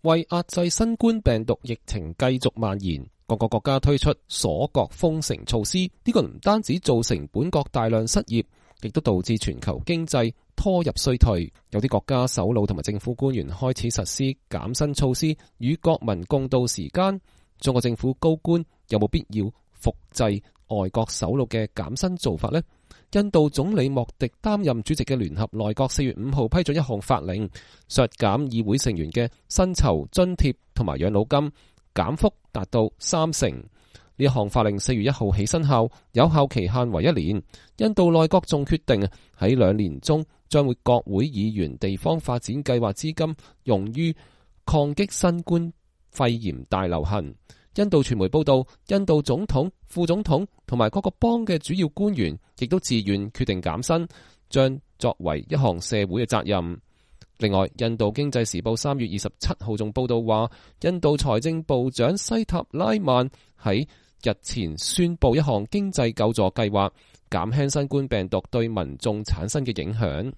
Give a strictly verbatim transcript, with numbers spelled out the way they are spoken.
為壓制新冠病毒疫情繼續蔓延，各個國家推出鎖國封城措施。呢個唔單止造成本國大量失業，亦都導致全球經濟拖入衰退。有啲國家首腦同埋政府官員開始實施減薪措施，與國民共度時艱。中國政府高官有冇必要複製外國首腦嘅減薪做法呢？印度總理莫迪擔任主席嘅聯合內閣四月五號批准一項法令，削減議會成員嘅薪酬津貼同埋養老金，減幅達到三成。呢一項法令四月一號起生效，有效期限為一年。印度內閣仲決定喺兩年中將會國會議員地方發展計劃資金用於抗擊新冠肺炎大流行。印度傳媒報道，印度總統、副總統同埋各個邦嘅主要官員亦都自願決定減薪，將作為一項社會嘅責任。另外，印度經濟時報三月二十七號仲報道話，印度財政部長西塔拉曼喺日前宣布一項經濟救助計劃，減輕新冠病毒對民眾產生嘅影響。